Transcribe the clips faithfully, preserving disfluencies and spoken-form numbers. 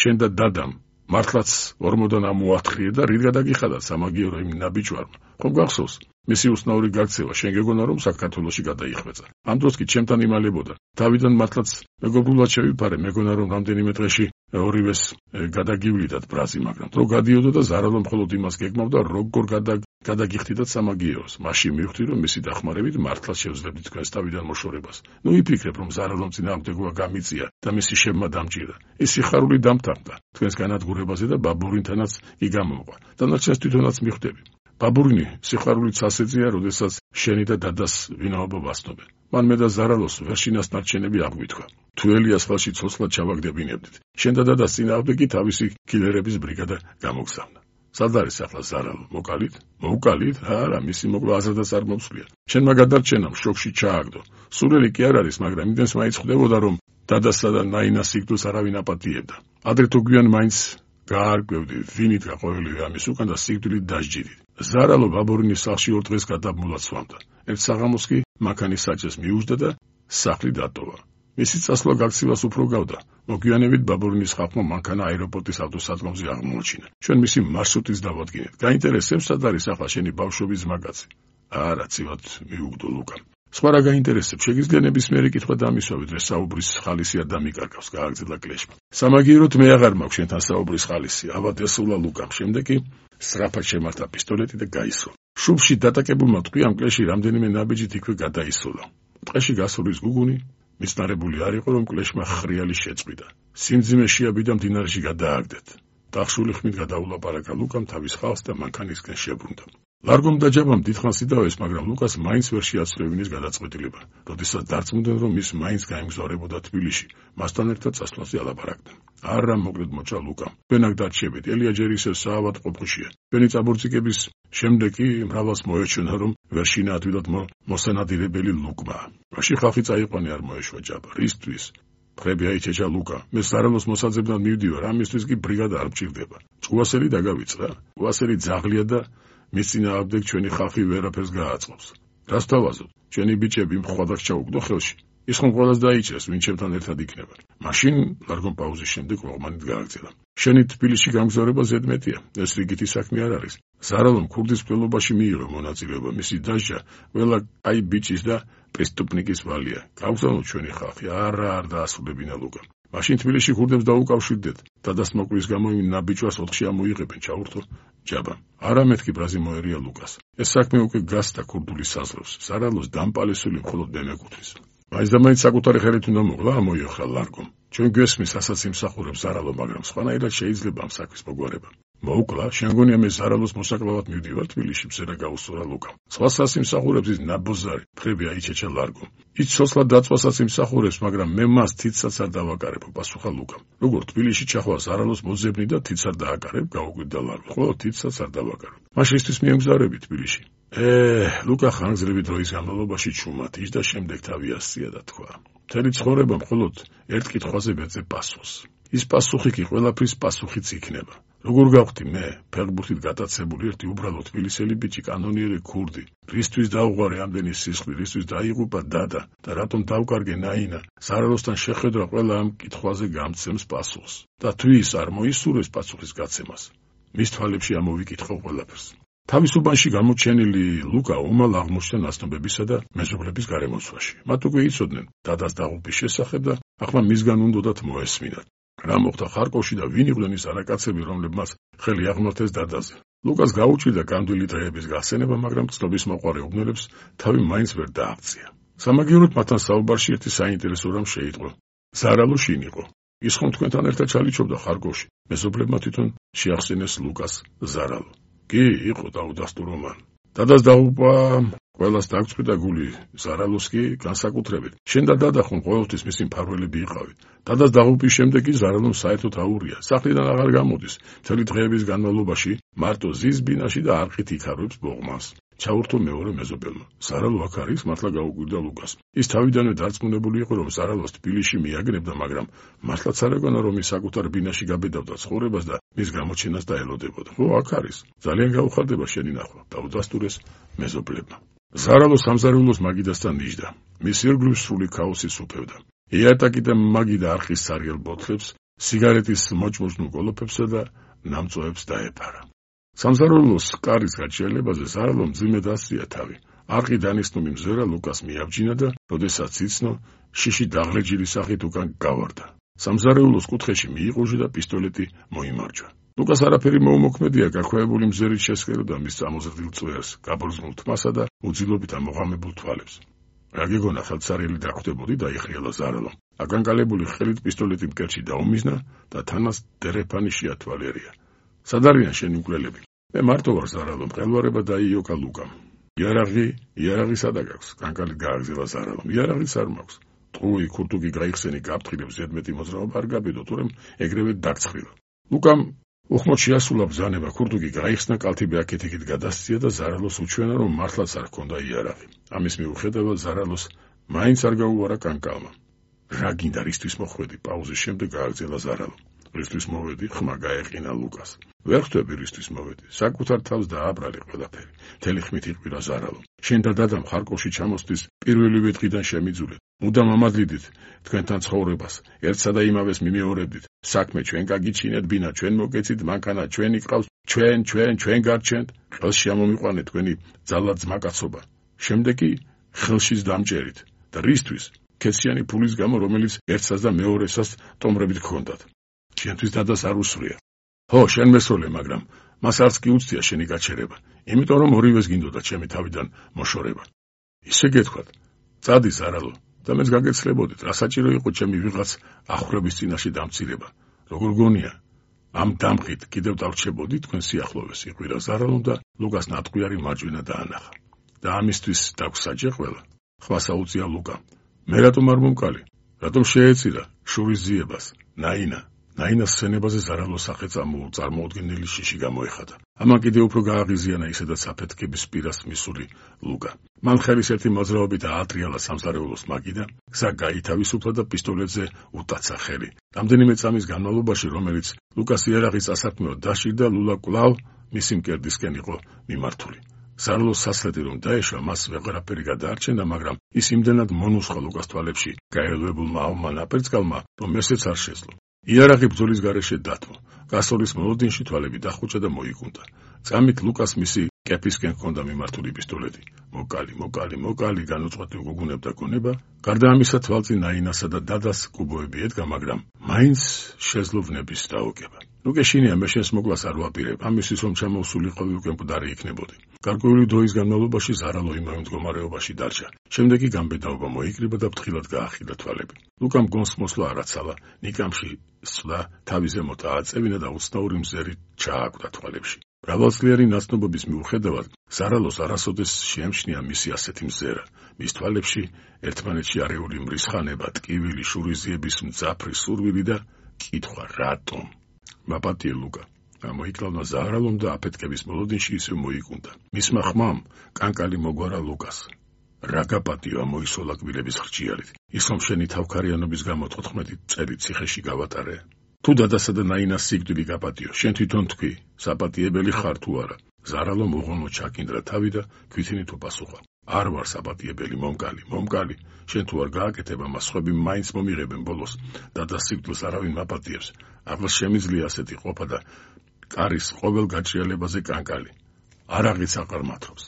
შენ და დადამ მართლაც ორმოდან ამოათხრიე და რით გადაგიხადა სამაგიერო იმ ნაბიჯვარმა. ხომ გახსოვს? მისი უცნაური გაქცევა შენ გეგონა რომ საქართველოში გადაიხვეწა. ამ დროს კი ჩემთან იმალებოდა. თავიდან მართლაც მეგობრულად შევიფარე, მეგონა რომ რამდენიმე დღეში ორივეს გადაგივლიდათ ბრაზი, მაგრამ დრო გადიოდა და ზარალო მხოლოდ იმას გეგმავდა, როგორ გადაგიხდიდათ სამაგიეროს. მაშინ მივხვდი რომ მისი დახმარებით მართლაც შევძლებდით თქვენს თავიდან მოშორებას. ნუ იფიქრებ რომ ზარალომ წინააღმდეგობა გამიწია და მისი შებმა დამჭირდა. ის სიხარული დამთანხმდა თქვენს განადგურებაზე და ბაბურინთანაც კი გამომყვა. დანარჩენს თვითონაც მიხვდები. ბაბურინი სიხარულით ასეწია, როდესაც შენი და დადას ვინაობა ვასნობენ. მან მე და ზარალოს ვერშინას ნარჩენები აღვითქვა. თუ ელიას ხელში ცოცხლად ჩავაგდებინებდით, შენ და დადას წინააღმდეგი თავისი კილერების ბრიგადა გამოგზავნა. სად არის ახლა ზარალო? მოკალით? მოუკალით? არა, მისი მოკლა აზრადაც არ მომსვლია. შენმა გადარჩენამ შოკში ჩააგდო. სულელი კი არ არის, მაგრამ იმდენს მაინც ხვდებოდა, რომ დადასა და ნაინას სიკვდილს არავინ აპატიებდა. ადრე თუ გვიან მაინც გაარკვევდი, ვინით გაყოლილი ამის უკან და სიკვდილით დასჯიდით. ზარალო ბაბურინის სახლში ორ დღეს გადაბმულად სვამდა. ერთ საღამოს კი მანქანის საჭეს მიუждდა და სახლი დატოვა. მისი წასვლა გაქცევას უფრო გავდა. მოგვიანებით ბაბურინის ხალხმა მანქანა აეროპორტის ავტოსადგომზე აღმოაჩინა. ჩვენ მისი მარშრუტის დავადგინეთ. გაინტერესებს სად არის ახლა შენი ბავშვობის ზმაგაცი? არა, ცივად მიუგდო ლუკამ. სხვა რა გაინტერესებს? შეგიძლია ნებისმიერი კითხვა დამისვავი, დღეს საუბრის ხალისი არ დამიკარგავს, გააგრძელა კლეშმა. სამაგიეროდ მე აღარ მაქვს შენთან საუბრის ხალისი, ავად ესულა ლუკამ. შემდეგ კი სწრაფად შემართა პისტოლეტი და გაისროლა. შუბში დატაკებულმა ტყვიამ კლეში რამდენიმე ნაბიჯით იქვე გადაისროლა. ტყეში გასულის გუგუნი მისნარებული არ იყო, რომ კლეშმა ხრიალი შეწყვიტა. სიმძიმე შეაბიდა მდინარეში გადააგდეთ. დახშული ხმით გადაულაპარაკა ლუკამ თავის ხალხს და მანქანისკენ შებრუნდა. ლარგომ და ჯაბამ დიდხანს იდავეს, მაგრამ ლუკას მაინც ვერ შეაცვლევინის გადაწყვეტილება. როდესაც დარწმუნდნენ, რომ ის მაინც გაემგზავრებოდა თბილისში, მასთან ერთად წასვლაზე ალაპარაკდნენ. არა, მოკლედ მოჭა ლუკამ. თქვენ აქ დარჩებით, ელია ჯერ ისევ საავადმყოფოშია. თქვენი წაბურწიკების შემდეგ კი მრავლას მოეჩვენა, რომ ვერშინა ადვილად მოსანადირებელი ლუკმა. მაშინ ხალხი წაიყვანე არ მოეშვა ჯაბა. რისთვის? ხრები აიჩეჩა ლუკა. მე ზარალოს მოსაძებნად მივდივარ, ამისთვის კი ბრიგადა არ მჭირდება. ჭუასელი დაგავიწყდა. ჭუასელი ძაღლია და მის წინააღმდეგ ჩვენი ხალხი ვერაფერს გააწყობს. რას თავაზობ? ჩვენი ბიჭები მხოლოდ ჩაუგდო ხელში. ის ხომ ყველას დაიჭერს, ვინ ჩემთან ერთად იქნება. მაშინ ლარგომ პაუზის შემდეგ ყოღმანით გააგრძელა. შენი თბილისში გამგზავრება ზედმეტია. ეს რიგითი საქმე არ არის. ზარალომ ქურდის მკვლელობაში მიიღო მონაწილეობა. მისი დასჯა ყველა კაი ბიჭის და პრესტუპნიკის ვალია. გავგზავნოთ ჩვენი ხალხი. არა, არ დაასრულებინა ლუკა. მაშინ თბილისში ქურდებს დაუკავშირდეთ. დადას მოკლის გამო იმ ნაბიჯვას ოთხში ამოიღებენ, ჩაურთო ჯაბამ. არა მეთქი ბრაზი მოერია ლუკას. ეს საქმე უკვე გასდა ქურდული საზღვრებს. ზარალოს დამპალესული მხოლოდ მე მეკუთვნის. მაინც და მაინც საკუთარი ხელით უნდა მოგლა, ამოიოხრა ლარგომ. ჩვენ გვესმის ასაც იმსახურებს ზარალო, მაგრამ სხვანაირად შეიძლება ამ საქმის მოგვარება. მოუკლა, შენ გონია მე ზარალოს მოსაკლავად მივდივარ თბილისში, მზერა გაუსურა ლუკამ. სხვასაც იმსახურებს ის ნაბოზარი, ფრები აიჩეჩა ლარგომ. ის სოსლა დაწვასაც იმსახურებს, მაგრამ მე მას თითსაც არ დავაკარებ, პასუხა ლუკამ. როგორ თბილისში ჩახვა ზარალოს მოძებნი და თიც არ დააკარებ, გაუკვირდა ლარგო. ხო, თიცსაც არ დავაკარებ. მაშინ ისთვის მიემგზავრები თბილისში. ე, ლუკა ხანგრძლივი დროის განმავლობაში ჩუმად ის და შემდეგ თავი ასწია და თქვა. მთელი ცხოვრება მხოლოდ ერთ კითხვაზე ვეძებ პასუხს. ის პასუხი კი ყველაფრის პასუხიც იქნება. როგორ გავხდი მე, ფეხბურთით გატაცებული ერთი უბრალო თბილისელი ბიჭი, კანონიერი ქურდი, რისთვის დაუღვარე ამდენი სისხლი, რისთვის დაიღუპა დადა და რატომ დავკარგე ნაინა, ზარალოსთან შეხედვა ყველა ამ კითხვაზე გამცემს პასუხს. და თუ ის არ მოისურვებს პასუხის გაცემას, მის თვალებში ამოვიკითხავ ყველაფერს. თავისუფლობაში გამოჩენილი ლუკა უმალ აღმოჩნდა ნაცნობებისა და მეზობლების გარემოცვაში. მათ უკვე იცოდნენ დადას დაღუპვის შესახებ და ახლა მისგან უნდათ მოესმინათ. რა მოხდა ხარკოვში და ვინ იყვნენ ის არაკაცები, რომლებმაც ხელი აღმართეს დადაზე. ლუკას გაუჭირდა გამდვილი დღეების გახსენება, მაგრამ ცნობის მოყვარე უბნელებს თავი მაინც ვერ დააღწია. სამაგიეროდ მათთან საუბარში ერთი საინტერესო რამ შეიტყო. ზარალო შინ იყო. ის ხომ თქვენთან ერთად ჩალიჩობდა ხარკოვში. მეზობლებმა თვითონ შეახსენეს ლუკას ზარალო. კი, იყო დაუდასტურო მან. დადას დაღუპვა ყველას დაგწყვიტა გული, ზარალოს კი განსაკუთრებით. შენ და დადა ხომ ყოველთვის მისი მფარველები იყავით. დადას დაღუპვის შემდეგ კი ზარალომ საერთოდ აურია. სახლიდან აღარ გამოდის. მთელი დღეების განმავლობაში მარტო ზის ბინაში და არყით იქარებს ბოღმას. ჩაურთო მეორე მეზობელმა. ზარალო აქ არის, მართლა გაუკვირდა ლუკას. ის თავიდანვე დარწმუნებული იყო, რომ ზარალოს თბილისში მიაგნებდა, მაგრამ მართლაც არ ეგონა, რომ ის საკუთარ ბინაში გაბედავდა ცხოვრებას და მის გამოჩენას დაელოდებოდა. ხო, აქ არის. ძალიან გაუხარდება შენი ნახვა, დაუდასტურეს მეზობლებმა. ზარალო სამზარეულოს მაგიდასთან ნიშდა. მის ირგვლივ სრული ქაოსი სუფევდა. იატაკი და მაგიდა არხის სარიელ ბოთლებს სიგარეტის მოჭმოჭნულ გოლოფებსა და ნამწოებს დაეფარა. სამზარეულოს კარის გაჩერებაზე ზარალომ მძიმედ ასწია თავი. არყი დანიშნული მზერა ლუკას მიაბჯინა და როდესაც იცნო, შიში დაღლეჯილი სახით უკან გავარდა. სამზარეულოს კუთხეში მიიყუჟა და პისტოლეტი მოიმარჯვა. ლუკას არაფერი მოუმოქმედია გაქვეებული მზერით შესყეროდა მის წამოზრდილ წვერს, გაბრძნულ თმასა და უძილობით ამოღამებულ თვალებს. რა გეგონა ხელსარიელი დახვდებოდი და იხრიალა ზარალომ. აკანკალებული ხელით პისტოლეტი მკერდში დაუმიზნა და თანას დერეფანი შეათვალიერია. სად არიან შენი მკვლელები? მე მარტო ვარ ზარალომ, მყელვარება დაიოკა ლუკამ. იარაღი, იარაღი სადა გაქვს? კანკალით გააგზავნა ზარალომ. იარაღიც არ მაქვს. ტყუი ქურთუკი გაიხსენი გაფრთხილებს ზედმეტი მოძრაობა არ გაბედო, თორემ ეგრევე დაგცხრილა. ლუკამ უხმოდ შეასრულა ბრძანება, ქურთუკი გაიხსნა, კალთები აქეთ-იქით გადასცია და ზარალოს უჩვენა, რომ მართლაც არ ჰქონდა იარაღი. ამის მიუხედავად ზარალოს მაინც არ გაუვარა კანკალმა. რა გინდა, რისთვის მოხვედი? პაუზის შემდეგ გააგრძელა ზარალომ. რისთვის მოვედი? ხმა გაეყინა ლუკას. ვერ ხვდები რისთვის მოვედი. საკუთარ თავს დააბრალი ყველაფერი. მთელი ხმით იყვირა ზარალომ. შენ და დადამ ხარკოვში ჩამოსვლის პირველივე დღიდან შემიძულეთ. მუდამ ამადლიდით თქვენთან ცხოვრებას, ერთსა და იმავეს მიმეორებდით. საქმე ჩვენ გაგიჩინეთ, ბინა ჩვენ მოგეცით, მანქანა ჩვენი ყავს, ჩვენ, ჩვენ, ჩვენ გარჩენთ. ხელში ამომიყვანეთ თქვენი ძალად ძმაკაცობა. შემდეგ კი ხელშიც დამჭერით. და რისთვის? ქეციანი ფულის გამო, რომელიც ერთსაც და მეორესაც ტომრებით გქონდათ. შენთვის დადას არ უსვრია. ხო, შენ მესროლე, მაგრამ მას არც კი უცდია შენი გაჩერება, იმიტომ რომ ორივეს გინდოდა ჩემი თავიდან მოშორება. ისე გეთქვათ, წადი ზარალო, და მეც გაგეცლებოდით, რა საჭირო იყო ჩემი ვიღაც ახრების წინაშე დამცირება. როგორ გონია? ამ დამხით კიდევ დავრჩებოდი თქვენ სიახლოვეს, იყვირა ზარალომ და ლუკას ნატყვიარი მარჯვენა დაანახა. და ამისთვის დაგვსაჯე ყველა? ხმას აუწია ლუკა. მე რატომ არ მომკალი? რატომ შეეწირა შურის ძიებას? ნაინა ნაინას სცენებაზე ზარალოს სახე წარმოუდგენელი შიში გამოეხადა. ამან კიდევ უფრო გააღიზიანა ისედაც საფეთქების პირას მისული ლუკა. მან ხელის ერთი მოძრაობით აატრიალა სამზარეულოს მაგი და გზა გაითავისუფლა და პისტოლეტზე უტაცა ხელი. რამდენიმე წამის განმავლობაში, რომელიც ლუკას იარაღის წასაქმნელად დაშირდა, ლულა კვლავ მისი მკერდისკენ იყო მიმართული. ზარალოს სასრეთი რომ დაეშვა, მას ვეღარაფერი გადაარჩენდა, მაგრამ ის იმდენად მონუსხა ლუკას თვალებში გაელვებულმა ავმა ნაპერწკალმა, რომ ესეც არ შეძლო. იარაღი ბრძოლის გარეშე დათმო. გასწვრის მოლოდინში თვალები დახუჭა და მოიკუნდა. წამით ლუკას მისი კეფისკენ ჰქონდა მიმართული პისტოლეტი. მოკალი, მოკალი, მოკალი, განუწყვეტ უგუგუნებდა გონება. გარდა ამისა, თვალწინ ნაინასა და დადას კუბოები ედგა, მაგრამ მაინც შეძლო ვნების დაოგება. ნუ გეშინია, მე შენს მოკვლას არ ვაპირებ, ამისთვის რომ ჩამოვსულიყავი უკვე მკვდარი იქნებოდი. გარკვეული დროის განმავლობაში ზარალო იმავე მდგომარეობაში დარჩა. შემდეგ კი გამბედაობა მოიკრიბა და ფრთხილად გაახილა თვალები. ლუკამ გონს მოსვლა არაცალა, ნიკამში სვლა თავის ზემოთ ააწევინა და უცნაური მზერი ჩააკვდა თვალებში. მრავალწლიანი ნაცნობობის მიუხედავად, ზარალოს არასოდეს შეემჩნია მისი ასეთი მზერა. მის თვალებში ერთმანეთში არეული მრისხანება, ტკივილი, შურიზიების მძაფრი სურვილი და კითხვა რატომ? მაპატიე ლუკა. გამოიკლავნა ზარალომ და აფეთქების მოლოდინში ისევ მოიკუნდა. მისმა ხმამ კანკალი მოგვარა ლუკას. რა გაპატიო მოისოლა კბილების ხრჭიალით. ის რომ შენი თავქარიანობის გამო თოთხმეტი წელი ციხეში გავატარე. თუ დადასა და ნაინას სიკვდილი გაპატიო, შენ თვითონ თქვი, საპატიებელი ხარ თუ არა? ზარალომ უღონო ჩაკინდრა თავი და ქვითინით უპასუხა. არ ვარ საპატიებელი, მომკალი, მომკალი. შენ თუ არ გააკეთებ ამას, სხვები მაინც მომიღებენ ბოლოს. დადას სიკვდილს არავინ მაპატიებს. ახლს შემიძლია ასეთი ყოფა და კარის ყოველ გაჭრიალებაზე კანკალი. არაღიც აყარ მათრობს.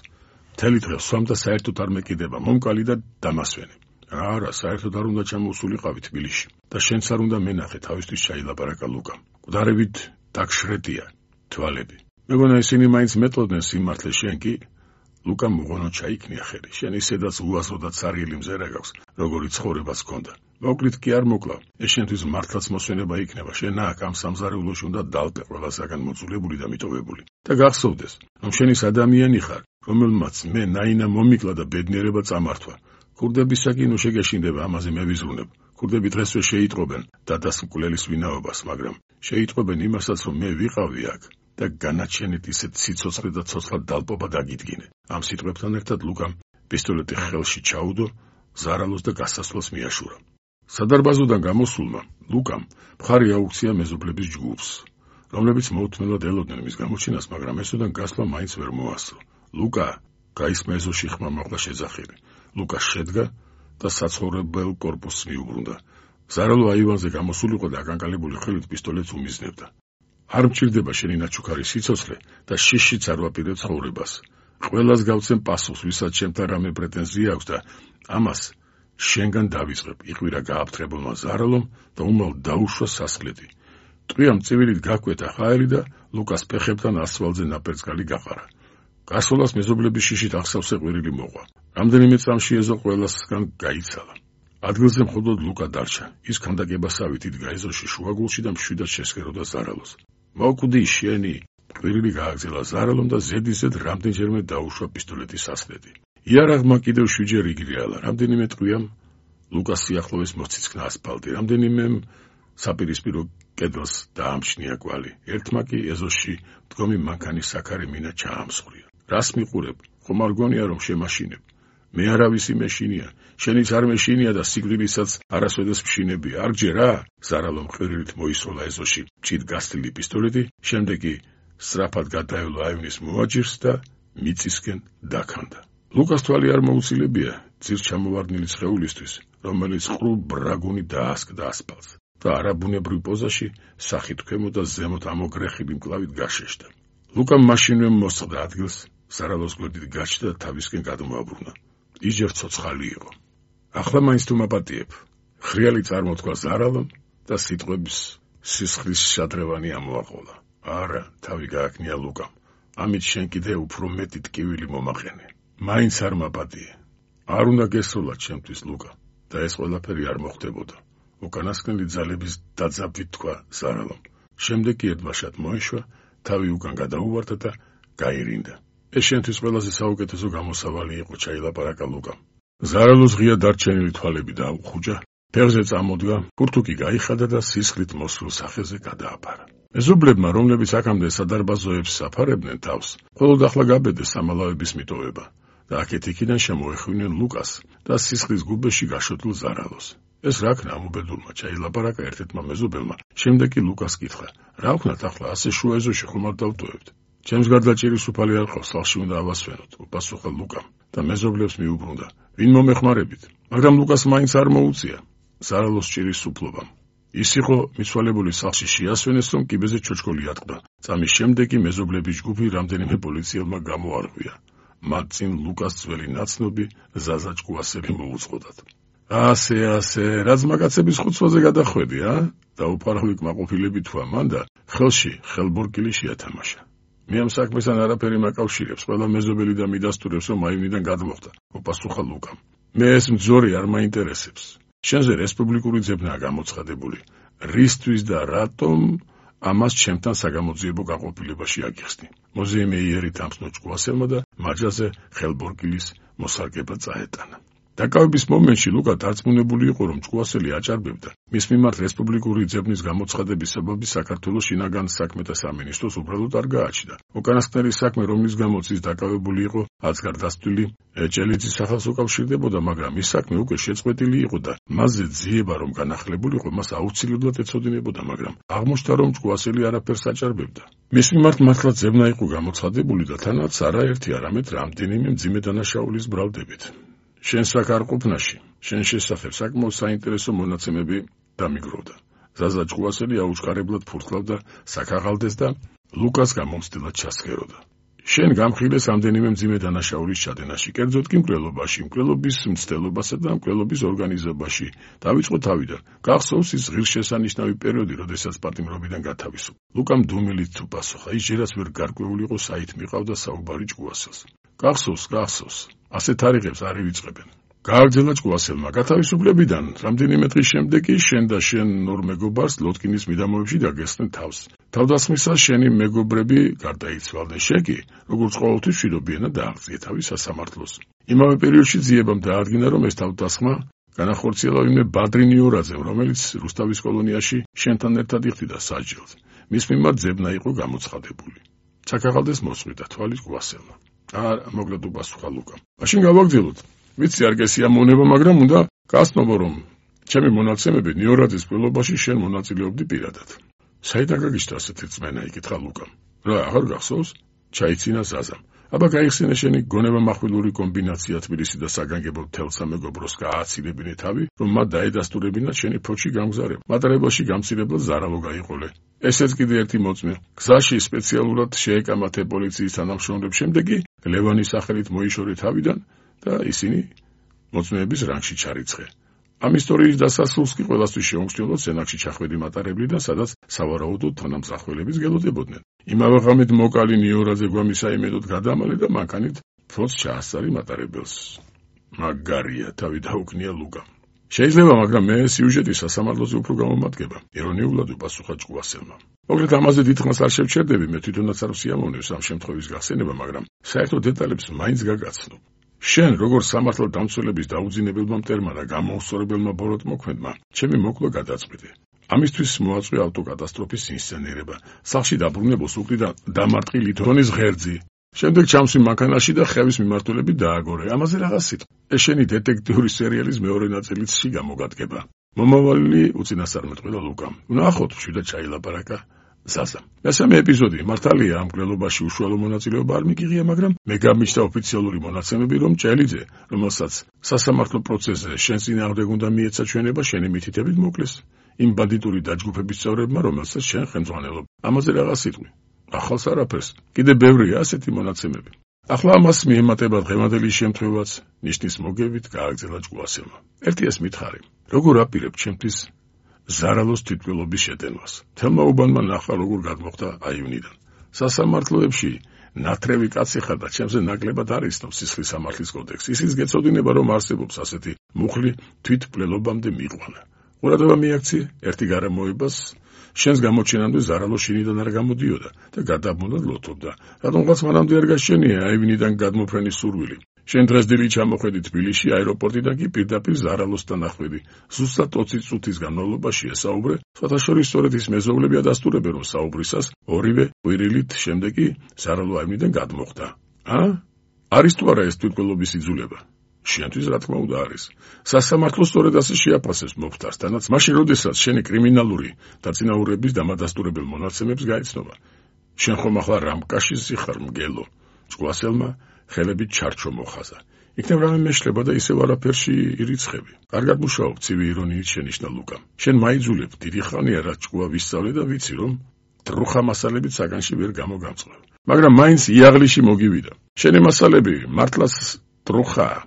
მთელი დღე სვამ და საერთოდ არ მეკიდება მომკალი და დამასვენებ. არა, საერთოდ არ უნდა ჩამოვსულიყავი თბილისში და შენც არ უნდა მენახე, თავისთვის ჩაილაპარაკა ლუკამ. მკვდარებით დაგშრედია თვალები. მეგონა ისინი მაინც მეტყოდნენ სიმართლეს, შენ კი? ლუკამ უღონო ჩაიქნია ხელი. შენ ისედაც უაზროდაც სარიელი მზერა გაქვს, როგორი ცხოვრებას ჰქონდა. მოკლით კი არ მოკლავ. ეს შენთვის მართლაც მოსვენება იქნება. შენ აქ ამ სამზარეულოში უნდა დალპე ყველასაგან მოწულებული და მიტოვებული. და გახსოვდეს, რომ შენ ის ადამიანი ხარ, რომელმაც მე ნაინა მომიკლა და ბედნიერება წამართვა. ქურდებისაკი ნუ შეგეშინდება, ამაზე მე ვიზრუნებ. ქურდები დღესვე შეიტყობენ დადას მკვლელის ვინაობას, მაგრამ შეიტყობენ იმასაც, რომ მე ვიყავი აქ და განაჩენით ისეთ სიცოცხლე და ცოცხლად დალპობა დაგიდგინე. ამ სიტყვებთან ერთად ლუკამ პისტოლეტი ხელში ჩაუდო, ზარალოს და გასასვლელს მიაშურა. სადარბაზოდან გამოსულმა ლუკამ მხარი აუქცია მეზობლების ჯგუფს, რომლებიც მოუთმენლად ელოდნენ მის გამოჩენას, მაგრამ ესოდან გასვლა მაინც ვერ მოასწრო. ლუკა გაისმა ეზოში ხმა მოყვა შეძახილი. ლუკა შედგა და საცხოვრებელ კორპუსს მიუბრუნდა. ზარალო აივანზე გამოსულიყო და აკანკალებული ხელით პისტოლეტს უმიზნებდა. არ მჭირდება შენი ნაჩუქარი სიცოცხლე და შიშიც არ ვაპირებ ცხოვრებას. ყველას გავცემ პასუხს, ვისაც ჩემთან რამე პრეტენზია აქვს და ამას შენგან დავიწყებ, იყვირა გააფთრებულმა ზარალომ და უმალ დაუშვა სასხლეთი. ტყვიამ წივილით გაკვეთა ხაერი და ლუკას ფეხებთან ასფალტზე ნაპერწკალი გაყარა. გასულას მეზობლების შიშით ახსავსე ყვირილი მოყვა. რამდენიმე წამში ეზო ყველასგან გაიცალა. ადგილზე მხოლოდ ლუკა დარჩა. ის ქანდაკებასავით იდგა ეზოში შუაგულში და მშვიდად შესქეროდა ზარალოს. მოკვდი შენი, ყვირილი გააგზელა ზარალომ და ზედიზედ რამდენჯერმე დაუშვა პისტოლეტის სასხლეთი. იარაღმა კიდევ შვიდჯერ იგრიალა. რამდენიმე ტყვიამ ლუკას სიახლოვეს მოციცქნა ასფალტი, რამდენიმემ საპირისპირო კედელს დაამჩნია კვალი. ერთმა კი ეზოში მდგომი მანქანის საქარი მინა ჩაამსხვრია. რას მიყურებ? ხომ არ გონია რომ შემაშინებ? მე არავისი მეშინია, შენიც არ მეშინია და სიკვდილისაც არასოდეს მშინები. არ გჯერა? ზარალომ ყვირილით მოისროლა ეზოში მჭიდ გასთლილი პისტოლეტი, შემდეგ კი სწრაფად გადაევლო აივნის მოაჯირს და მიწისკენ დაქანდა. ლუკას თვალი არ მოუცილებია ძირს ჩამოვარდნილი სხეულისთვის, რომელიც ყრუ ბრაგუნი დაასკდა ასფალტს და არაბუნებრივ პოზაში სახით ქვემოთ და ზემოთ ამოგრეხილი მკლავით გაშეშდა. ლუკამ მაშინვე მოსწყდა ადგილს, ზარალოს გვერდით გაჩნდა და თავისკენ გადმოაბრუნა. ის ჯერ ცოცხალი იყო. ახლა მაინც თუ მაპატიებ. ხრიალი წარმოთქვა ზარალომ და სიტყვების სისხლის შადრევანი ამოაყოლა. არა, თავი გააკნია ლუკამ. ამით შენ კიდე უფრო მეტი ტკივილი მომაყენე. მაინც არ მაპატიე. არ უნდა გესროლა ჩემთვის ლუკა და ეს ყველაფერი არ მოხდებოდა. უკანასკნელი ძალების დაძაბვით თქვა ზარალომ. შემდეგ კი ერთბაშად მოეშვა, თავი უკან გადაუვარდა და გაირინდა. ეს შენთვის ყველაზე საუკეთესო გამოსავალი იყო, ჩაილაპარაკა ლუკამ. ზარალოს ღია დარჩენილი თვალები დაუხუჯა, ფეხზე წამოდგა, ფურთუკი გაიხადა და სისხლით მოსულ სახეზე გადააბარა. მეზობლებმა, რომლებიც აქამდე სადარბაზოებს საფარებდნენ თავს, მხოლოდ ახლა გაბედეს სამალავების მიტოვება და აქეთ-იქიდან შემოეხვინენ ლუკას და სისხლის გუბეში გაშოტილ ზარალოს. ეს რა ქნა ამ უბედურმა, ჩაილაპარაკა ერთ-ერთმა მეზობელმა. შემდეგ კი ლუკას კითხა, რა ვქნათ ახლა ასე შუა ეზოში ხომ არ დავტოვებთ? ჩემს გარდა ჭირის უფალი არ ყავს, სახლში უნდა ავასვენოთ, უპასუხა ლუკამ და მეზობლებს მიუბრუნდა. ვინ მომეხმარებით? მაგრამ ლუკას მაინც არ მოუწია ზარალოს ჭირის უფლებამ. ის იყო მიცვალებული სახლში შეასვენეს, რომ კიბეზე ჩოჩქოლი ატყდა. წამის შემდეგ კი მეზობლების ჯგუფი რამდენიმე პოლიციელმა გამოარღვია. მათ წინ ლუკას ძველი ნაცნობი ზაზა ჭკუასელი მოუწყოდათ. ასე, ასე, რაც მაგაცების ხუცვაზე გადახვედი, ა? დაუფარავი კმაყოფილები თქვა მან და ხელში ხელბორკილი შეათამაშა. მე ამ საქმესთან არაფერი მაკავშირებს, ყველა მეზობელი და მიდასტურებს, რომ აივნიდან გადმოხდა, უპასუხა ლუკამ. მე ეს მძორი არ მაინტერესებს. შენზე რესპუბლიკური ძებნაა გამოცხადებული. რისთვის და რატომ ამას ჩემთან საგამოძიებო გაყოფილებაში აგიხსნი. მოზიემე იერი თამსნო ჭკუასელმა და მაჯაზე ხელბორკილის მოსარგება წაეტანა. დაკავების მომენტში ლუკა დარწმუნებული იყო, რომ ჭკუასელი აჭარბებდა მის მიმართ რესპუბლიკური ძებნის გამოცხადების საბაბი საქართველოს შინაგან საქმეთა სამინისტროს უბრალოდ არ გააჩნდა. უკანასკნელი საქმე, რომლის გამოც ის დაკავებული იყო, აცგარდასტვილი ჭელიძის სახელს უკავშირდებოდა, მაგრამ ის საქმე უკვე შეწყვეტილი იყო და მასზე ძიება რომ განახლებულიყო, მას აუცილებლად ეცოდინებოდა, მაგრამ აღმოჩნდა, რომ ჭკუასელი არაფერს აჭარბებდა. მის მიმართ მართლა ძებნა იყო გამოცხადებული და თანაც არაერთი, არამედ რამდენიმე მძიმე დანაშაულის ბრალდებით. შენ საკარყოფნაში, შენ შესახებ საკმაოდ საინტერესო მონაცემები დამიგროვდა. ზაზა ჭკუასელი აუჩქარებლად ფურთქლავდა საქაღალდეს და ლუკას გამომცდილად ჩასხეროდა. შენ გამხილეს რამდენიმე მძიმე დანაშაულის ჩადენაში, კერძოდ კი მკვლელობაში, მკვლელობის მცდელობასა და მკვლელობის ორგანიზებაში. დავიწყო თავიდან. გახსოვს ის ღირსშესანიშნავი პერიოდი, როდესაც პატიმრობიდან გათავისუფლდა. ლუკამ დუმილით თუ პასუხა, ის ჯერაც ვერ გარკვეული იყო, საით მიყავდა საუბარი ჭკუასელს. გახსოვს, გახსოვს. ასე თარიღებს არ ივიწყებენ. გააგრძელა ჭკუასელმა გათავისუფლებიდან, რამდენიმე დღის შემდეგ კი შენ და შენ ორ მეგობარს ლოტკინის მიდამოებში დაგესხნენ თავს. თავდასხმისას შენი მეგობრები გარდაიცვალდნენ. შენ კი, როგორც ყოველთვის, მშვიდობიანად დააღწია თავის სასამართლოს. იმავე პერიოდში ძიებამ დაადგინა, რომ ეს თავდასხმა განახორციელა ვინმე ბადრი ნიურაძემ, რომელიც რუსთავის კოლონიაში შენთან ერთად იხდიდა საჯელს. მის მიმართ ძებნა იყო გამოცხადებული. ჩაქაღალდეს მოსწყვიტა თვალი ჭკუასელმა. არა, მოკლედ უპასუხა ლუკამ. მაშინ გავაგრძელოთ. ვიცი არ გესიამოვნება, მაგრამ უნდა გასწნობო, რომ ჩემი მონაცემები ნიურაძის მკვლელობაში შენ მონაწილეობდი პირადად. საიდან გაგიჩნდა ასეთი რწმენა? იკითხა ლუკამ. რა, აღარ გახსოვს? ჩაიცინა ზაზამ. აბა გაიხსენე შენი გონება מחვილური კომბინაცია თბილისი და საგანგებო თელსა მეგობროს გააცირებინე თავი, რომ მათ დაედასტურებინათ შენი ფოჩი გამგზავრება. მატარებელში გამცირებლად ზარალო გაიყოლე. ესეც კიდე ერთი მოწმე. გზაში სპეციალურად შეეკამათე პოლიციის თანამშრომლებს, შემდეგ კი ლევანის სახელით მოიშორე თავიდან და ისინი მოწმეების რანგში ჩარიცხე. ამ ისტორიის დასასრულს კი ყველასთვის შეუმჩნევლად სენაკში ჩახვედი მატარებლიდან, სადაც სავარაუდოდ თანამსახველების გელოდებოდნენ. იმავე ღამით მოკალი ნიორაძე გვამისაიმედოდ გადამალე და მანქანით ფლოტს ჩაასწარი მატარებელს. მაგარია, თავი დაუქნია ლუკამ. შეიძლება, მაგრამ მე სიუჟეტის სასამართლოზე უფრო გამომადგება, ირონიულად უპასუხა ჭკუასელმა. მოკლედ ამაზე დიდხანს არ შევჩერდები, მე თვითონაც არ ვსიამოვნებს ამ შემთხვევის გახსენება, მაგრამ საერთო დეტალებს მაინც გაგაცნობ. შენ, როგორც სამართალ დამცველების დაუძინებელმა მტერმა და გამოუსწორებელმა ბოროტმოქმედმა, ჩემი მოკლა გადაწყვეტე. ამისთვის მოაწყვე ავტოკატასტროფის ინსცენირება, სახლში დაბრუნებულს უკრიდან დამარტყი ლითონის ღერძი. შემდეგ ჩამსვი მანქანაში და ხევის მიმართულებით დააგორე. ამაზე რაღაც სიტყვა. ეს შენი დეტექტიური სერიალის მეორე ნაწილიც გამოგადგება. მომავალი უწინასწარმეტყველა ლუკამ. ნახოთ, შვიდად ჩაილაპარაკა ზაზამ. მესამე ეპიზოდი. მართალია ამ მკვლელობაში უშუალო მონაწილეობა არ მიგიღია, მაგრამ მე გამიჩნდა ოფიციალური მონაცემები, რომ ჭელიძე, რომელსაც სასამართლო პროცესზე შენ წინააღმდეგ უნდა მიეცა ჩვენება, შენი მითითებით მოკლეს იმ ბანდიტური დაჯგუფების წევრებმა, რომელსაც შენ ხელმძღვანელობ. ამაზე რაღაც სიტყვი. ახალს არაფერს. კიდე ბევრია ასეთი მონაცემები. ახლა ამას მიემატება დღევანდელი შემთხვევაც, ნიშნის მოგებით გააგრძელა ჭკუასელმა. ერთი ეს მითხარი. როგორ აპირებ ჩემთვის ზარალოს თვითმკვლელობის შეტენვას? თელმა უბანმა ნახა, როგორ გადმოხდა აივნიდან. სასამართლოებში ნათრევი კაცი ხარ და ჩემზე ნაკლებად არ იცნობს სისხლის სამართლის კოდექსი. ისიც გეცოდინება, რომ არსებობს ასეთი მუხლი თვითმკვლელობამდე მიიყვანა. ყურადღება მიაქცი ერთი გარემოებას, შენს გამოჩენამდე ზარალო შინიდან არ გამოდიოდა და გადაბმულად ლოთობდა. რატომღაც მანამდე არ გაშენია აივნიდან გადმოფრენის სურვილი. შენ დღესდღეობით ჩამოხვედი თბილისში, აეროპორტიდან კი პირდაპირ ზარალოსთან ახვედი. ზუსტად ოცი წუთის განმავლობაში ესაუბრე, სხვათა შორის სწორედ ის მეზობლები ადასტურებენ, რომ საუბრისას ორივე ყვირილით შემდეგ კი ზარალო აივნიდან გადმოხდა. ა? არის თუ არა ეს თვითმკვლელობის იძულება? შენთვის რა თქმა უნდა არის. სასამართლო სწორედ ასე შეაფასებს მოფთას, თანაც მაშინ, როდესაც შენი კრიმინალური დაწინაურების დამადასტურებელ მონაცემებს გაიცნობა. შენ ხომ ახლა რამკაშიზი ხარ მგელო? ჭკუასელმა ხელებით ჩარჩო მოხაზა. იქნებ რამე მეშლება და ისევ არაფერში ირიცხები. კარგად მუშაობ, ცივი ირონიით შენიშნა ლუკამ. შენ მაიძულებ, დიდი ხანია რაც ჭკუა ვისწავლე და ვიცი, რომ დრუხა მასალებით საგანში ვერ გამოგამწყებ. მაგრამ მაინც იაღლიში მოგივიდა. შენი მასალები მართლაც დრუხაა.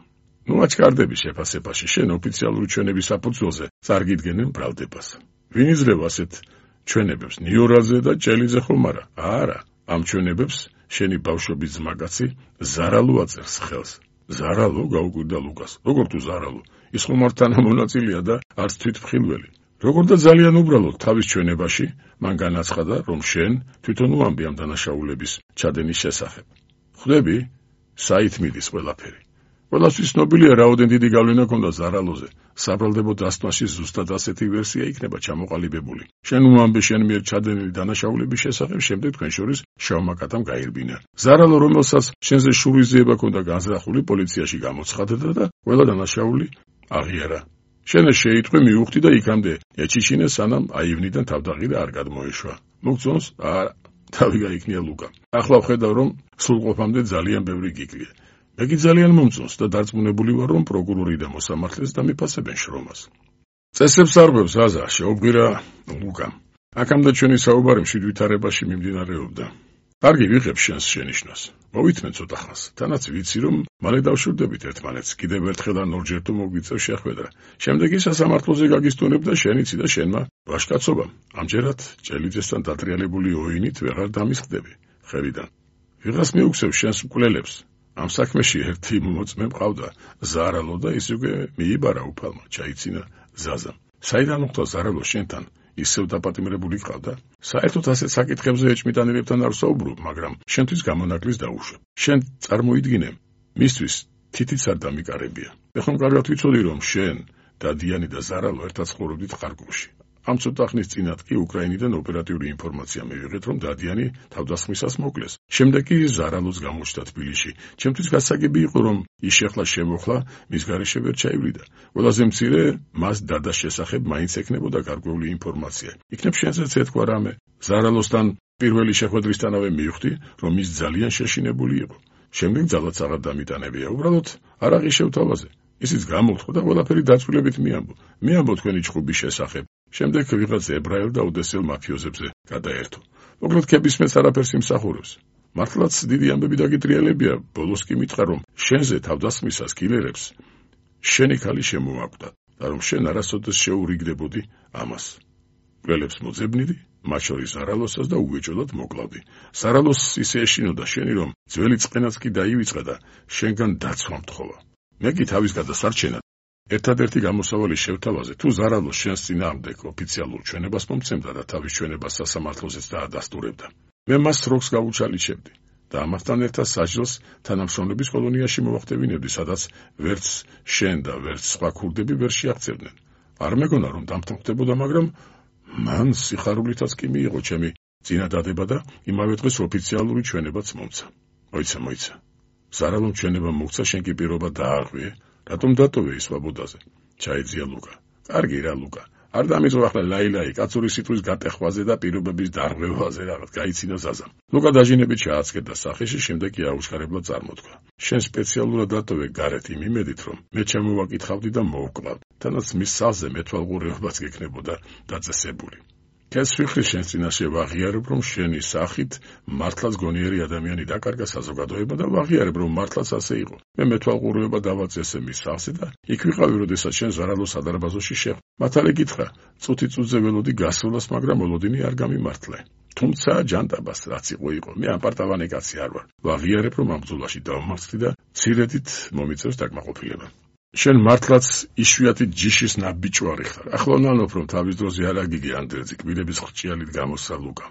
ნუ აჩქარდები შეფასებაში, შენ ოფიციალური ჩვენების საფუძველზე წარგიდგენენ ბრალდებას. ვინ იძლევა ასეთ ჩვენებებს? ნიორაძე და ჭელიძე ხომ არა? არა, ამ ჩვენებებს შენი ბავშვობის ძმაკაცი ზარალო აწერს ხელს. ზარალო? გაუკვირდა ლუკას. როგორ თუ ზარალო? ის ხომ არ თანამონაწილეა და არც თვითმხილველი. როგორ და ძალიან უბრალოდ თავის ჩვენებაში მან განაცხადა, რომ შენ თვითონ უამბი ამ დანაშაულების ჩადენის შესახებ. ხვდები? საით მიდის ყველაფერი. ყველასთვის ცნობილია, რაოდენ დიდი გავლენა ჰქონდა ზარალოზე. საბრალდებო დასტვაში ზუსტად ასეთი ვერსია იქნება ჩამოყალიბებული. შენ უამბე შენ მიერ ჩადენილი დანაშაულების შესახებ, შემდეგ თქვენ შორის შავმა კატამ გაირბინა. ზარალო, რომელსაც შენზე შურისძიება ჰქონდა განზრახული, პოლიციაში გამოცხადდა და ყველა დანაშაული აღიარა. შენ შეიტყვი, მიუხვდი და იქამდე ეჩიშინე, სანამ აივნიდან თავდაღი და არ გადმოეშვა. მოგწონს? არა, თავი გაიქნია ლუკა. ახლა ვხედავ, რომ სრულყოფამდე ძალიან ბევრი გიკლია. მე კი ძალიან მომწონს და დარწმუნებული ვარ, რომ პროკურორი და მოსამართლეც დამიფასებენ შრომას. წესებს არღვევს აზა, შეუბრა ლუკამ. აქამდე ჩვენი საუბარი მშვიდ ვითარებაში მიმდინარეობდა. კარგი, ვიღებ შენს შენიშვნას. მოვითმენ ცოტა ხანს. თანაც ვიცი, რომ მალე დავშვირდებით ერთმანეთს. კიდევ ერთხელ ან ორჯერ თუ მოგვიწევს შეხვედრა. შემდეგ კი სასამართლოზე გაგისტონებ და შენიცი და შენმა ვაშკაცობამ. ამჯერად ჭელიძესთან დატრიალებული ოინით ვეღარ დამისხდები ხელიდან. ვიღას მიუგზევს შენს მკვლელებს. ამ საქმეში ერთი მოწმე მყავდა, ზარალო, და ის უკვე მიიბარა უფალმა, ჩაიცინა ზაზამ. საიდან მოხდა ზარალო შენთან? ისევ დაპატიმრებული ყავდა? საერთოდ ასეთ საკითხებზე ეჭმიტანელებთან არ ვსაუბრობ, მაგრამ შენთვის გამონაკლის დაუშვებ. შენ წარმოიდგინე, მისთვის თითიც არ დამიკარებია. ეხლა კარგად ვიცოდი, რომ შენ, დადიანი და ზარალო ერთად ცხოვრობდით ხარკოვში. ამ ცოტა ხნის წინათ კი უკრაინიდან ოპერატიული ინფორმაცია მივიღეთ, რომ დადიანი თავდასხმისას მოკლეს. შემდეგ კი ზარალოს გამოჩნდა თბილისში. ჩემთვის გასაგები იყო, რომ ის შეხლა შემოხლა, მის გარეშე ვერ ჩაივლიდა. ყველაზე მცირე, მას დადას შესახებ მაინც ექნებოდა გარკვეული ინფორმაცია. იქნებ შენზეც ეთქვა რამე. ზარალოსთან პირველი შეხვედრისთანავე მივხვდი, რომ ის ძალიან შეშინებული იყო. შემდეგ ძალაც აღარ დამიტანებია, უბრალოდ არ აღიშევ თავაზე. ისიც გამოთხოვ და ყველაფერი დაწვრილებით მიამბო. მიამბო თქვენი ჩხუბის შესახებ. შემდეგ ვიღაც ებრაელ და ოდესელ მაფიოზებზე გადაერთო. მოკლედ ქებისმეც არაფერს იმსახურებს. მართლაც დიდი ამბები დაგიტრიალებია, ბოლოს კი მითხრა, რომ შენზე თავდასხმისას კილერებს შენი ქალი შემოაკვდა და რომ შენ არასოდეს შეურიგდებოდი ამას. ყველებს მოძებნიდი, მათ შორის ზარალოსას და უეჭოდად მოკლავდი. ზარალოსს ისე ეშინოდა შენი, რომ ძველი წყენაც კი დაივიწყა და შენგან დაცვა მთხოვა. მე კი თავის გადასარჩენად ერთადერთი გამოსავალი შევთავაზე, თუ ზარალოს შენს წინააღმდეგ ოფიციალურ ჩვენებას მომცემდა და თავის ჩვენებას სასამართლოზეც დაადასტურებდა. მე მას სროქს გავუჩალიჩებდი და ამასთან ერთად საჯელს თანამშრომლების კოლონიაში მოვახდევინებდი, სადაც ვერც შენ და ვერც სხვა ქურდები ვერ შეაღწევდნენ. არ მეგონა, რომ დამთანხმდებოდა, მაგრამ მან სიხარულითაც კი მიიღო ჩემი წინადადება და იმავე დღეს ოფიციალური ჩვენებაც მომცა. მოიცა, მოიცა. ზარალომ ჩვენება მოგცა, შენ კი პირობა დაარღვიე. რატომ დატოვე ის ვაბოდაზე? ჩაიძია ლუკა. კარგი რა, ლუკა. არ დამიწყო ახლა ლაილაი, კაცური სიტყვის გატეხვაზე და პირობების დარღვევაზე რაღაც გაიცინა ზაზამ. ლუკა დაჟინებით ჩააცკერდა სახეში, შემდეგ კი აუჩქარებლად წარმოთქვა. შენ სპეციალურად დატოვე გარეთ იმ იმედით, რომ მე ჩემოვაკითხავდი და მოვკლავ. თანაც მის სალზე მეთვალყურეობაც გექნებოდა დაწესებული. ქეს ვიხრი შენ წინაშე ვაღიარებ, რომ შენი სახით მართლაც გონიერი ადამიანი დაკარგა საზოგადოება და ვაღიარებ, რომ მართლაც ასე იყო. მე მეთვალყურეობა დავაწესე მის სალზე და იქ ვიყავი, როდესაც შენ ზარალოს სადარბაზოში შეხვ. მათალე გითხრა, წუთი წუთზე ველოდი გასვლას, მაგრამ ოლოდინი არ გამიმართლე. თუმცა ჯანდაბას რაც იყო იყო, მე აპარტავანი კაცი არ ვარ. ვაღიარებ, რომ ამ ბრძოლაში დავმარცხდი და ცირედით მომიწევს დაკმაყოფილება. შენ მართლაც იშვიათი ჯიშის ნაბიჯვარი ხარ. ახლა ვნანობ, რომ თავის დროზე არ აგიგე ანდერძი კბილების ხრჭიალით გამოსცა ლუკა.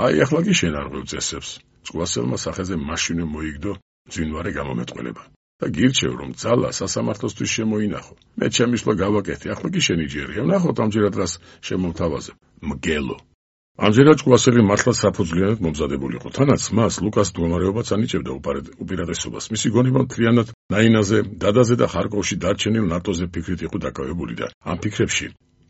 აი ახლა კი შენ არ ღვევ წესებს. წვასელმა სახეზე მაშინვე მოიგდო ძინვარე გამომეტყველება. და გირჩევ, რომ ძალა სასამართლოსთვის შემოინახო. მე ჩემისლა გავაკეთე, ახლა კი შენი ჯერია. ვნახოთ ამჯერად რას შემომთავაზებ. მგელო. ამჯერად ჭკვასელი მართლაც საფუძვლიანად მომზადებული იყო. თანაც მას ლუკას მდგომარეობაც ანიჭებდა უპირატესობას. მისი გონება მთლიანად ნაინაზე, დადაზე და ხარკოვში დარჩენილ ნატოზე ფიქრით იყო დაკავებული და ამ ფიქრებში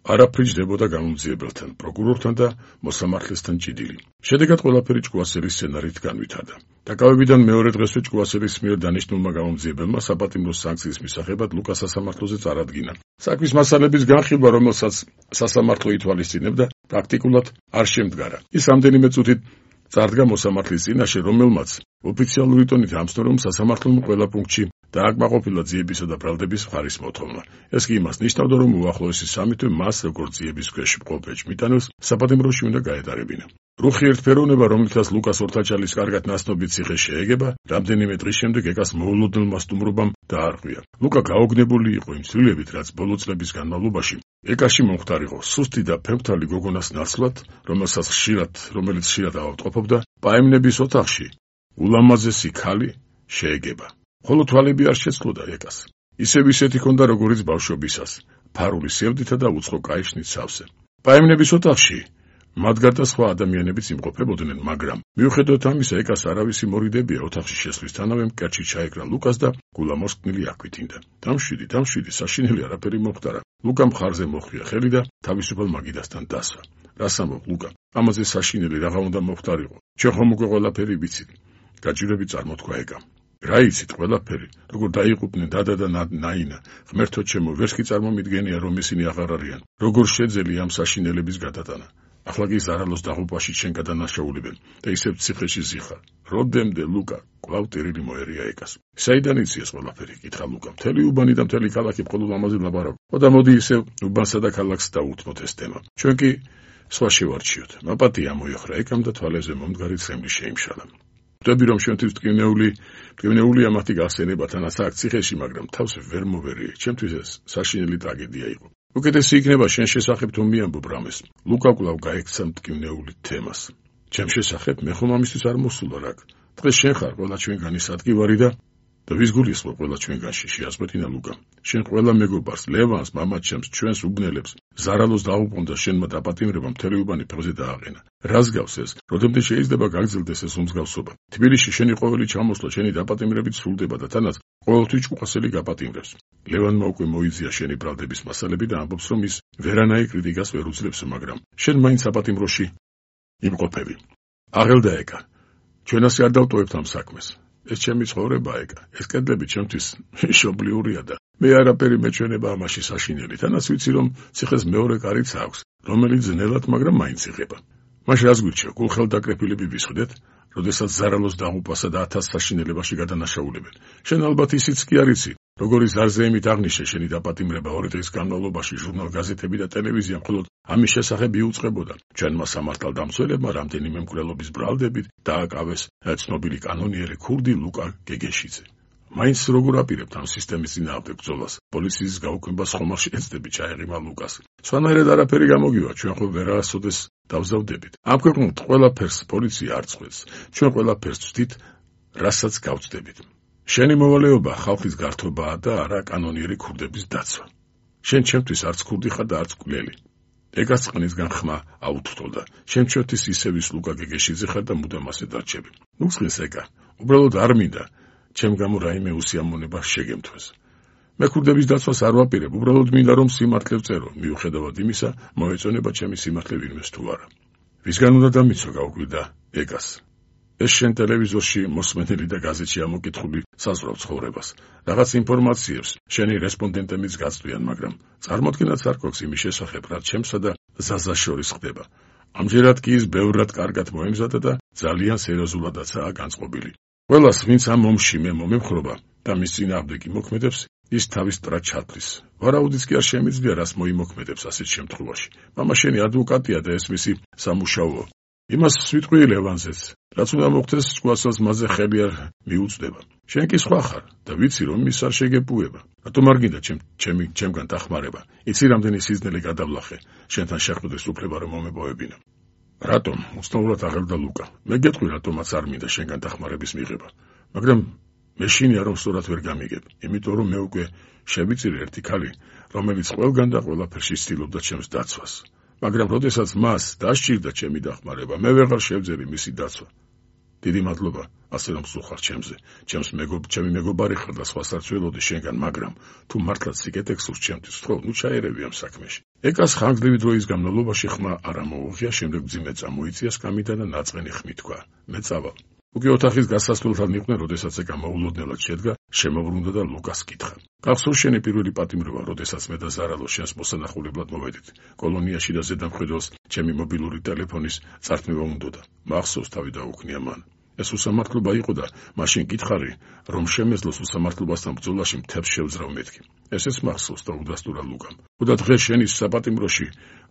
არაფრიჯდებოდა გამომძიებელთან, პროკურორთან და მოსამართლესთან ჭიდილი. შედეგად ყველაფერი ჭკვასელის სცენარით განვითარდა. დაკავებიდან მეორე დღესვე ჭკვასელის მიერ დანიშნულმა გამომძიებელმა საპატიმრო სანქციის მისაღებად ლუკას სასამართლოზე წარადგინა. საქმის მასალების განხილვა, რომელსაც სასამართლო ითვალისწინებდა, პრაქტიკულად არ შემდგარა. ის რამდენიმე წუთით წარდგა მოსამართლის წინაშე, რომელმაც ოფიციალური ტონით ამსто, რომ სასამართლომ ყველა პუნქტში დააკმაყოფილა ძიებისა და ბრალდების მხარის მოთხოვნა. ეს კი იმას ნიშნავდა, რომ უახლოესი სამი თვე მას, როგორც ძიების ქვეშ მყოფ ეჭვმიტანილს, საპატიმროში უნდა გაეტარებინა. რუხი ერთფეროვნება, რომლითაც ლუკას ორთაჭალის კარგად ნაცნობი ციხე შეეგება, რამდენიმე დღის შემდეგ ეკას მოულოდნელმა სტუმრობამ დაარღვია. ლუკა გაოგნებული იყო იმ ცვლილებით, რაც ბოლო წლების განმავლობაში ეკაში მომხდარიყო სუსტი და ფემფთალი გოგონას ნაცვლად, რომელსაც ხშირად, რომელიც ხშირად ავადმყოფობდა, პაემნების ოთახში ულამაზესი ქალი შეეგება. ხოლო თვალები არ შეცლოდა ეკას. ისევ ისეთი ჰქონდა, როგორიც ბავშვობისას, ფარული სევდითა და უცხო კაიშნით სავსე. პაემნების ოთახში მათ გარდა სხვა ადამიანებიც იმყოფებოდნენ, მაგრამ მიუხედავად ამისა, ეკას არავისი მორიდებია ოთახში შესვლისთანავე მკერდში ჩაეკრა ლუკას და გულამოსკნილი აკვიტინდა. დამშვიდი, დამშვიდი, საშინელი არაფერი მომხდარა. ლუკა მხარზე მოხვია ხელი და თავისუფალ მაგიდასთან დასვა. რას ამბობ, ლუკა? ამაზე საშინელი რაღა უნდა მომხდარიყო. ჩვენ ხომ უკვე ყველაფერი ვიცით. გაჭირვები წარმოთქვა ეკამ. რა იცით ყველაფერი, როგორ დაიყუპნენ დადა და ნაინა, ღმერთო ჩემო, ვერც კი წარმომიდგენია, რომ ისინი აღარ არიან. როგორ შეძელი ამ საშინელების გადატანა? ახლა კი ზარალოს დაღუპვაში შენ გადანაშაულებენ და ისევ ციხეში ზიხარ. როდემდე, ლუკა? კვლავ ტირილი მოერია ეკას. საიდან იცი ეს ყველაფერი? კითხა ლუკა. მთელი უბანი და მთელი ქალაქი მხოლოდ ამაზე ლაპარაკობ. და მოდი ისევ უბანსა და ქალაქს დაუთმოთ ეს თემა. ჩვენ კი სხვა შევარჩიოთ. მაპატია მოიხრა ეკამ და თვალებზე მომდგარი ცხენი შეიმშალა. ვტები, რომ შენთვის ტკივნეული, ტკივნეულია მათი გახსენება თანაც აქ ციხეში, მაგრამ თავს ვერ მოვერიე. ჩემთვის ეს საშინელი ტრაგედია იყო. უკეთესი იქნება შენ შესახებ თუ მიამბობ რამეს. ლუკა კვლავ გაექცა მტკივნეული თემას. ჩემ შესახებ მე ხომ ამისთვის არ მოსულა რა. დღეს შენ ხარ ყველა ჩვენგანის ადგივარი და და ვის გულისხმობ ყველა ჩვენგანში, შეასკვეთინა ლუკა. შენ ყველა მეგობარს, ლევანს, მამაჩემს, ჩვენს უბნელებს, ზარალოს დაუბრუნდა შენმა დაპატიმრებამ მთელი უბანი ფეხზე დააყენა. რას გავს ეს? როდემდე შეიძლება გაგრძელდეს ეს უმსგავსობა? თბილისში შენი ყოველი ჩამოსვლა შენი დაპატიმრებით სრულდება და თანაც ყოველთვის ჭკვასელი გაპატიმრებს. ლევანმა უკვე მოიძია შენი ბრალდების მასალები და ამბობს, რომ ის ვერანაირ კრიტიკას ვერ უძლებს, მაგრამ შენ მაინც საპატიმროში იმყოფები. აღელდა ეკა. ჩვენასი არ დავტოვებთ ამ საქმეს. ეს ჩემი ცხოვრება ეკა. ეს კედლები ჩემთვის მშობლიურია და მე არაფერი მეჩვენება ამაში საშინელი. თანაც ვიცი რომ ციხეს მეორე კარიც აქვს, რომელიც ძნელად, მაგრამ მაინც იღება. მაშ რას გვირჩევ, გულხელდაკრეფილები ვისხდეთ, როდესაც ზარალოს დაღუპვასა და ათას საშინელებაში გადანაშაულებენ. შენ ალბათ ისიც კი არ იცი, როგორი ზარზეიმით აღნიშნე შენი დაპატიმრება ორი დღის განმავლობაში ჟურნალ გაზეთები და ტელევიზია მხოლოდ ამის შესახებ იუწყებოდა. ჩვენმა სამართალდამცველებმა რამდენიმე მკვლელობის ბრალდებით დააკავეს ცნობილი კანონიერი ქურდი ლუკა გეგეშიძე. მაინც როგორ აპირებთ ამ სისტემის წინააღმდეგ ბრძოლას? პოლიციის გაუქმებას ხომალ შეეცდები ჩაეღიმა ლუკას. სხვანაირად არაფერი გამოგივა, ჩვენ ხო ვერასოდეს დავზავდებით. ამ ქვეყნით ყველაფერს პოლიცია არ წყვეტს. ჩვენ ყველაფერს ვცდით, რასაც გავწდებით. შენი მოვალეობა ხალხის გართობაა და არა კანონიერი ქურდების დაცვა. შენ ჩემთვის არც ქურდი ხარ და არც მკვლელი. ეგაც წყნისგან ხმა აუთრთოდა. შენ ჩვენთვის ისევ ის ლუკა გეგეშიძე ხარ და მუდამ ასე დარჩები. ნუ წყნის ეკა. უბრალოდ არ მინდა ჩემ გამო რაიმე უსიამოვნება შეგემთვეს. მე ქურდების დაცვას არ ვაპირებ, უბრალოდ მინდა რომ სიმართლე ვწერო, მიუხედავად იმისა, მოეწონება ჩემი სიმართლე ვინმეს თუ არა. ვისგან უნდა დამიცვა გაუკვირდა ეკას. ეს შენ ტელევიზორში მოსმენელი და გაზეთში ამოკითხული საზღვრავ ცხოვრებას. რაღაც ინფორმაციებს შენი რესპონდენტებიც გაწვიან, მაგრამ წარმოქმნაც არ გვაქვს იმის შესახებ, რაც ჩემსა და ზაზას შორის ხდება. ამჯერად კი ის ბევრად კარგად მოემზადა და ძალიან სერიოზულადაცაა განწყობილი. ყველას, ვინც ამ ომში მე მომემხრობა და მის წინააღმდეგ იმოქმედებს, ის თავის ტრად ჩათვლის. ვარაუდიც კი არ შემიძლია, რას მოიმოქმედებს ასეთ შემთხვევაში. მამა შენი ადვოკატია და ეს მისი სამუშაოა. იმას ვიტყვი ლევანზეც, რაც უნდა მოხდეს სკუასელს მასზე ხელი არ მიუწვდება. შენ კი სხვა ხარ და ვიცი რომ ის არ შეგეპუება. რატომ არ გინდა ჩემ ჩემი ჩემგან დახმარება? იცი რამდენი სიზნელი გადავლახე შენთან შეხვდეს უფლება რომ მომებოებინა. რატომ? უცნაურად აღელდა ლუკა. მე გეტყვი რატომაც არ მინდა შენგან დახმარების მიღება. მაგრამ მეშინია რომ სწორად ვერ გამიგებ, იმიტომ რომ მე უკვე შევიწირე ერთი ქალი, რომელიც ყველგან და ყველაფერში ცდილობდა ჩემს დაცვას. მაგრამ როდესაც მას დასჭირდა ჩემი დახმარება, მე ვეღარ შევძელი მისი დაცვა. დიდი მადლობა, ასე რომ სულხარ ჩემზე. ჩემს მეგობ, ჩემი მეგობარი ხარ და სხვას არ ცველოდი შენგან, მაგრამ თუ მართლაც სიკეთე გსურს ჩემთვის, ხო, ნუ ჩაერევი ამ საქმეში. ეკას ხანგრძლივი დროის განმავლობაში ხმა არ ამოუღია, შემდეგ მძიმე წამოიწია სკამიდან და ნაწყენი ხმით თქვა: მე წავალ. უკვე ოთახის გასასვლელთან იყვნენ, როდესაც ეკა მოულოდნელად შედგა, შემოbrunდა და ლუკას კითხა: გახსოვს შენი პირველი პატიმრობა, როდესაც მე და ზარალო შენს მოსანახულებლად მოვედით კოლონიაში და ზედამხედველს ჩემი მობილური ტელეფონის წართმევა უნდოდა. მახსოვს, თავი დაუქნია მან. ეს უსამართლობა იყო და მაშინ გითხარი, რომ შემეძლოს უსამართლობასთან ბრძოლაში მთებს შევძრავ მეთქი. ესეც მახსოვს და უდასტურა ლუკამ. უდა დღეს შენის საპატიმროში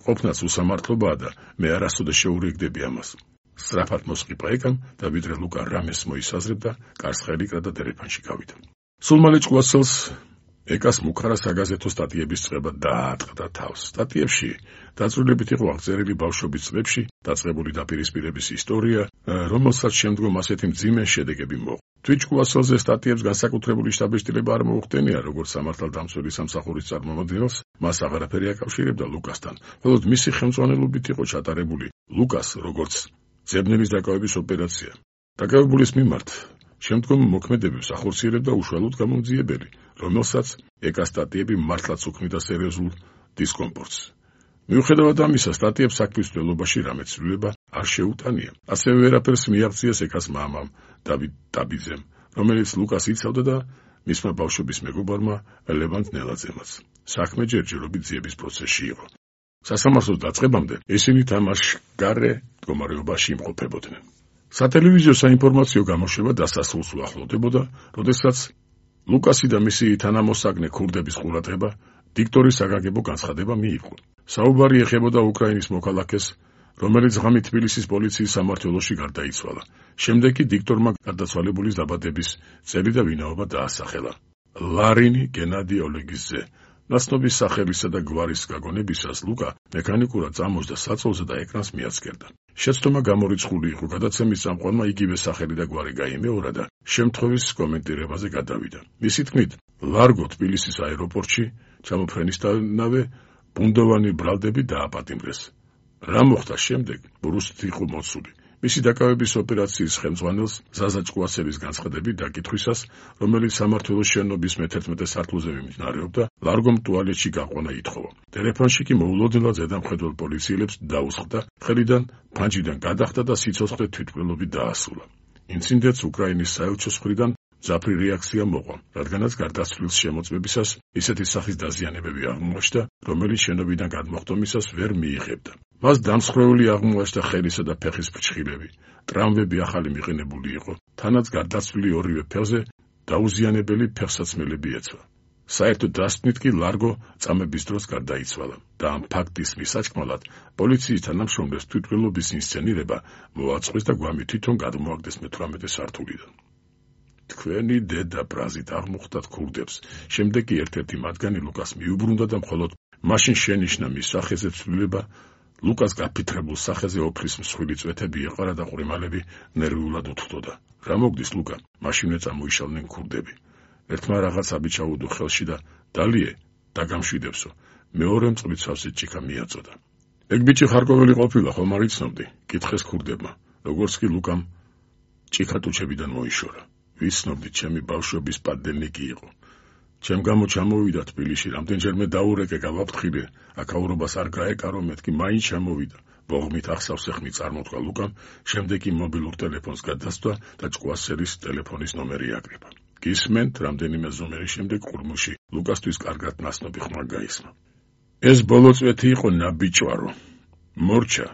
ყოფნაც უსამართლობაა და მე არასოდეს შეურიგდები ამას. სწრაფად მოსყიპა ეკამ და ვიდრე ლუკა რამეს მოისაზრებდა, კარს ხელი კრა და დერეფანში გავიდა. სულ მალე ჭკუასელს ეკას მუქარა საგაზეთო სტატიების წყება დაატყდა თავს. სტატიებში დაწვრილებით იყო აღწერილი ბავშვობის წლებში დაწყებული დაპირისპირების ისტორია, რომელსაც შემდგომ ასეთი მძიმე შედეგები მოყვა. თვით ჭკუასელზე სტატიებს განსაკუთრებული შტაბეშტილება არ მოუხდენია, როგორც სამართალდამცველი სამსახურის წარმომადგენელს, მას აღარაფერი აკავშირებდა ლუკასთან. მხოლოდ მისი ხელმძღვანელობით იყო ჩატარებული ლუკას როგორც ძებნების დაკავების ოპერაცია. დაკავებულის მიმართ შემდგომ მოქმედებებს ახორციელებდა უშუალოდ გამომძიებელი, რომელსაც ეკას სტატიები მართლაც უქმნიდა სერიოზულ დისკომფორტს. მიუხედავად ამისა, სტატიებს საქმის მცველობაში რამე ცვლილება არ შეუტანია. ასევე ვერაფერს მიაღწიეს ეკას მამამ დავით ტაბიძემ, რომელიც ლუკას იცავდა და მისმა ბავშვობის მეგობარმა ლევან ნელაძემაც. საქმე ჯერჯერობით ძიების პროცესში იყო. სასამართლოს დაწყებამდე ისინი თამაშგარე მდგომარეობაში იმყოფებოდნენ. სატელევიზიო საინფორმაციო გამოშვება დასასრულს უახლოვდებოდა, როდესაც ლუკასი და მისი თანამოსაგნე ქურდების ყურადღება დიქტორის საგანგებო განცხადება მიიღო. საუბარი ეხებოდა უკრაინის მოქალაქეს, რომელიც ღამით თბილისის პოლიციის სამმართველოში გარდაიცვალა. შემდეგ კი დიქტორმა გარდაცვალებულის დაბადების წელი და ვინაობა დაასახელა. ლარინი გენადი ოლეგიძე. ნაცნობის სახელისა და გვარის გაგონებისას ლუკა მექანიკურად წამოჯდა საწოლზე და ეკრანს მიაცქერდა. შეცდომა გამორიცხული იყო, გადაცემის წამყვანმა იგივე სახელი და გვარი გაიმეორა და შემთხვევის კომენტირებაზე გადავიდა. მისი თქმით, ლარგო თბილისის აეროპორტში ჩამოფრენისთანავე ბუნდოვანი ბრალდები დააპატიმრეს. რა მოხდა შემდეგ? ბრუსტ იყო მოცული. მისი დაკავების ოპერაციის ხელმძღვანელს ზაზა ჭკუასელის განცხადებით დაკითხვისას, რომელიც სამმართველოს შენობის მეთერთმეტე სართულზე მიმდინარეობდა, ლარგომ ტუალეტში გაყვანა ითხოვა. ტელეფონში კი მოულოდნელად ზედამხედველ პოლიციელებს დაუსხდა, ხელიდან ფანჯიდან გადახდა და სიცოცხლე თვითმკვლელობით დაასრულა. ინციდენტს უკრაინის საელჩოს მხრიდან მძაფრი რეაქცია მოყვა, რადგანაც გარდაცვლილის შემოწმებისას ისეთი სახის დაზიანებები აღმოაჩნდა, რომელიც შენობიდან გადმოხდომისას ვერ მიიღებდა. მას დამსხვრეული აღმოაჩნდა ხელისა და ფეხის ფრჩხილები, ტრამვები ახალი მიყენებული იყო, თანაც გარდაცვლილი ორივე ფეხზე დაუზიანებელი ფეხსაცმელები ეცვა. საერთოდ დასკვნით კი ლარგო წამების დროს გარდაიცვალა და ამ ფაქტის მისაჭკმალად პოლიციის თანამშრომლებს თვითმკვლელობის ინსცენირება მოაწყვეს და გვამი თვითონ გადმოაგდეს მეთვრამეტე სართულიდან. თქვენი დედა ბრაზით აღმოხდათ ქურდებს, შემდეგ კი ერთ-ერთი მათგანი ლუკას მიუბრუნდა და მხოლოდ მაშინ შენიშნა მის სახეზე ცვლილება, ლუკას გაფითრებულ სახეზე ოფლის მსხვილი წვეთები ეყარა და ყვრიმალები ნერვიულად უთხროდა. რა მოგდის ლუკა? მაშინვე წამოიშალნენ ქურდები. ერთმა რაღაც აბიჩაუდო ხელში და დალიე დაგამშვიდებსო. მეორე მწყლით სავსე ჭიქა მიაწოდა. ეგ ბიჭი ხარკოველი ყოფილა, ხომ არ იცნობდი? კითხეს ქურდებმა, როგორც კი ლუკამ ჭიქა ტუჩებიდან მოიშორა. ვიცნობდი, ჩემი ბავშვობის პადელნიკი იყო. ჩემ გამო ჩამოვიდა თბილისში, რამდენჯერმე დაურეკე გავაფრთხილე, აქაურობას არ გაეკარო, მეთქი მაინც ჩამოვიდა. ბოღმით ახსავს ეხმი წარმოთქვა ლუკამ, შემდეგ კი მობილურ ტელეფონს გადასცდა და ჭკუასელის ტელეფონის ნომერი აკრიფა. გისმენთ, რამდენიმე ზომერის შემდეგ ყურმუში ლუკასთვის კარგად ნაცნობი ხმა გაისმა. ეს ბოლო წვეთი იყო ნაბიჯვარო. მორჩა,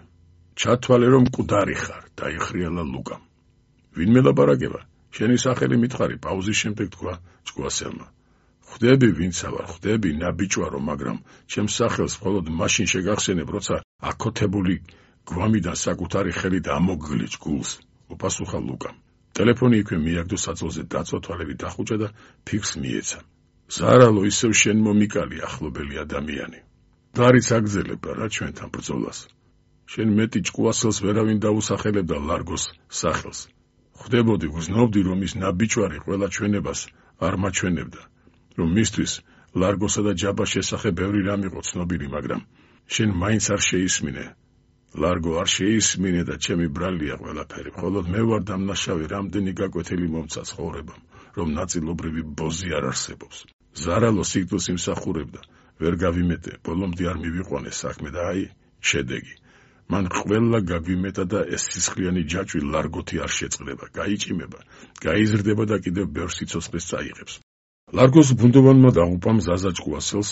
ჩათვალე რომ მკვდარი ხარ, დაიხრიალა ლუკამ. ვინმე ლაპარაკება? შენი სახელი მითხარი, პაუზის შემდეგ თქვა ჭკუასელმა. ხვდები ვინცა ვარ, ხვდები ნაბიჯვარო, მაგრამ ჩემს სახელს მხოლოდ მაშინ შეგახსენებ, როცა აკოთებული გვამიდან საკუთარი ხელით ამოგგლეჭ გულს, უპასუხა ლუკამ. ტელეფონი იქვე მიაგდო საწოლზე დაწვა, თვალები დახუჭა და ფიქს მიეცა. ზარალო, ისევ შენ მომიკალი ახლობელი ადამიანი. დარიც აგზელებ რა ჩვენთან ბრძოლას. შენ მეტი ჭკუასელს ვერავინ დაუსახელებდა ლარგოს სახელს. ხვდებოდი, გრძნობდი, რომ ის ნაბიჯვარი ყველა ჩვენებას არ მაჩვენებდა, რომ მისთვის ლარგოსა და ჯაბას შესახებ ბევრი რამ იყო ცნობილი, მაგრამ შენ მაინც არ შეისმინე. ლარგო არ შეისმინე და ჩემი ბრალია ყველაფერი, მხოლოდ მე ვარ დამნაშავე რამდენი გაკვეთილი მომცა ცხოვრებამ, რომ ნაწილობრივი ბოზი არ არსებობს. ზარალო სიკვდილს იმსახურებდა, ვერ გავიმეტე, ბოლომდე არ მივიყვანე საქმე და აი, შედეგი. მან ყველა გაგვიმეტა და ეს სისხლიანი ჯაჭვი ლარგოთი არ შეწყდება, გაიჭიმება, გაიზრდება და კიდევ ბევრ სიცოცხლეს წაიღებს. ლარგოს ბუნდოვანმა დაღუპამ ზაზა ჭკუასელს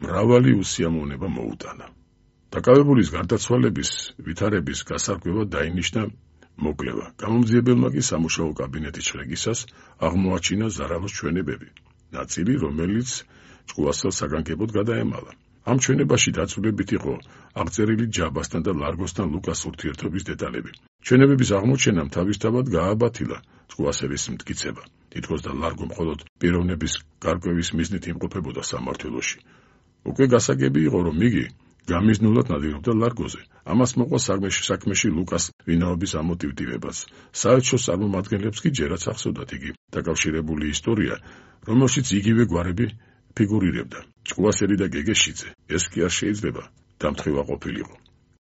მრავალი უსიამოვნება მოუტანა. დაკავებულის გარდაცვალების ვითარების გასარკვევად დაინიშნა მოკლევა. გამომძიებელმა კი სამუშაო კაბინეტის შრეგისას აღმოაჩინა ზარალოს ჩვენებები, ნაწილი რომელიც ჭკუასელს საგანგებოდ გადაემალა. ამ ჩვენებაში დაწვრილებით იყო აღწერილი ჯაბასთან და ლარგოსთან ლუკას ურთიერთობის დეტალები. ჩვენებების აღმოჩენამ თავისთავად გააბათილა ჭკუასელის მტკიცება. თითქოს და ლარგო მხოლოდ პიროვნების გარკვევის მიზნით იმყოფებოდა სამმართველოში. უკვე გასაგები იყო, რომ იგი გამიზნულად ნადირობდა ლარგოზე. ამას მოყვა საქმეში საქმეში ლუკას ვინაობის ამოტივტივებას. საელჩოს წარმომადგენლებს კი ჯერაც ახსოვდათ იგი დაკავშირებული ისტორია, რომელშიც იგივე გვარები ფიგურირებდა. ჭკუასელი და გეგეშიძე, ეს კი არ შეიძლება დამთხევა ყოფილიყო.